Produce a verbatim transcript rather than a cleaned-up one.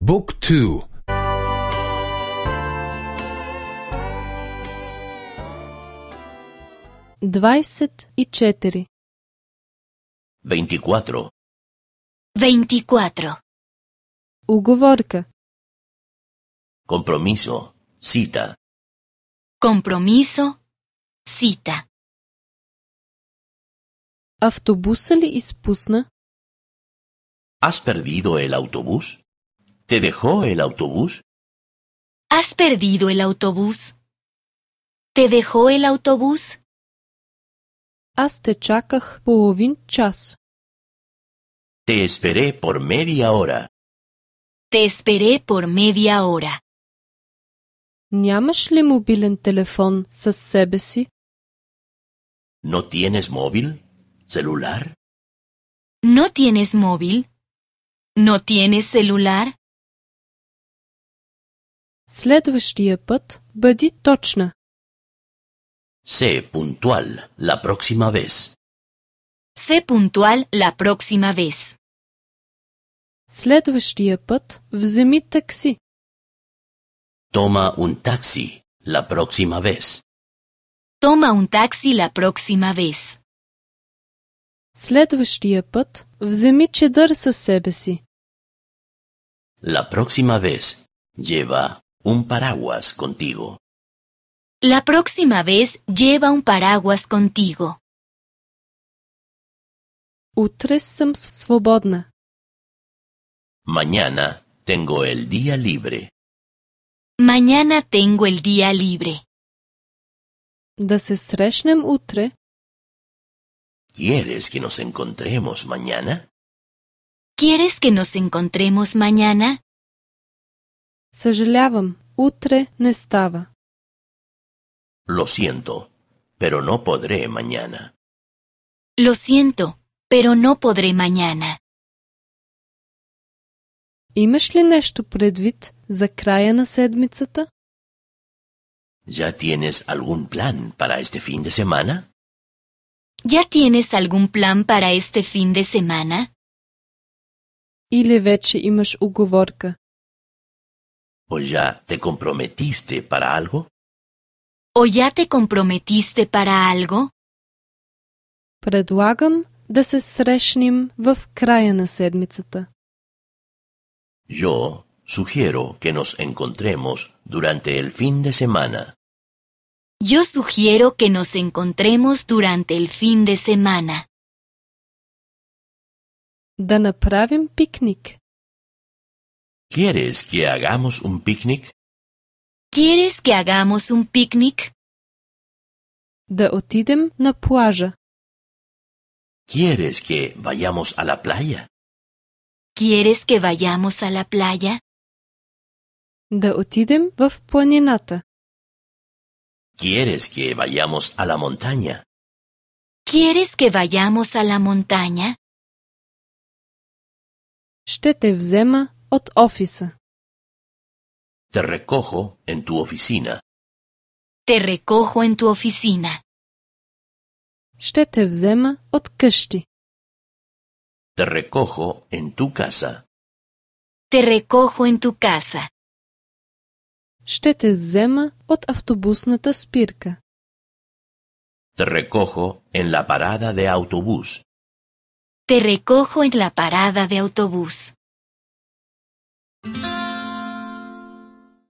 بوك تو. двадесет и четири. veinticuatro, veinticuatro. Уговорка. compromiso, cita, Compromiso, cita. Автобуса ли изпусна? ¿has perdido el autobús? ¿Te dejó el autobús? ¿Has perdido el autobús? ¿Te dejó el autobús? Аз те чаках половин час. Te esperé por media hora. Te esperé por media hora. Нямаш ли мобилен телефон със себе си? ¿No tienes móvil? ¿Celular? ¿No tienes móvil? ¿No tienes celular? Следващия път бъди точна. Sé puntual la próxima vez. Sé puntual la próxima vez. Следващия път вземи такси. Toma un taxi la próxima vez. Toma un taxi la próxima vez. Следващия път вземи чадър със себе си. La próxima vez lleva un paraguas contigo. La próxima vez lleva un paraguas contigo. Утре съм свободна. Mañana tengo el día libre. Mañana tengo el día libre. Да се срещнем утре. ¿Quieres que nos encontremos mañana? ¿Quieres que nos encontremos mañana? Съжалявам, утре не става. Lo siento, pero no podré mañana. Lo siento, pero no podré mañana. Имаш ли нещо предвид за края на седмицата? ¿Ya tienes algún plan para este fin de semana? ¿Ya tienes algún plan para este fin de semana? Или вече имаш уговорка? ¿O ya te comprometiste para algo? ¿O ya te comprometiste para algo? Предлагам да се срещнем в края на седмицата. Yo sugiero que nos encontremos durante el fin de semana. Yo sugiero que nos encontremos durante el fin de semana. Да направим пикник. ¿Quieres que hagamos un picnic? ¿Quieres que hagamos un picnic? Да отидем на плажа. ¿Quieres que vayamos a la playa? ¿Quieres que vayamos a la playa? Да отидем в планината. ¿Quieres que vayamos a la montaña? ¿Quieres que vayamos a la montaña? Ще те взема от офиса. Te recojo en tu oficina. Te recojo en tu oficina. Ще те взема от къщи. Te recojo en tu casa. Te recojo en tu casa. Ще те взема от автобусната спирка. Te recojo en la parada de autobús. Te recojo en la parada de autobús.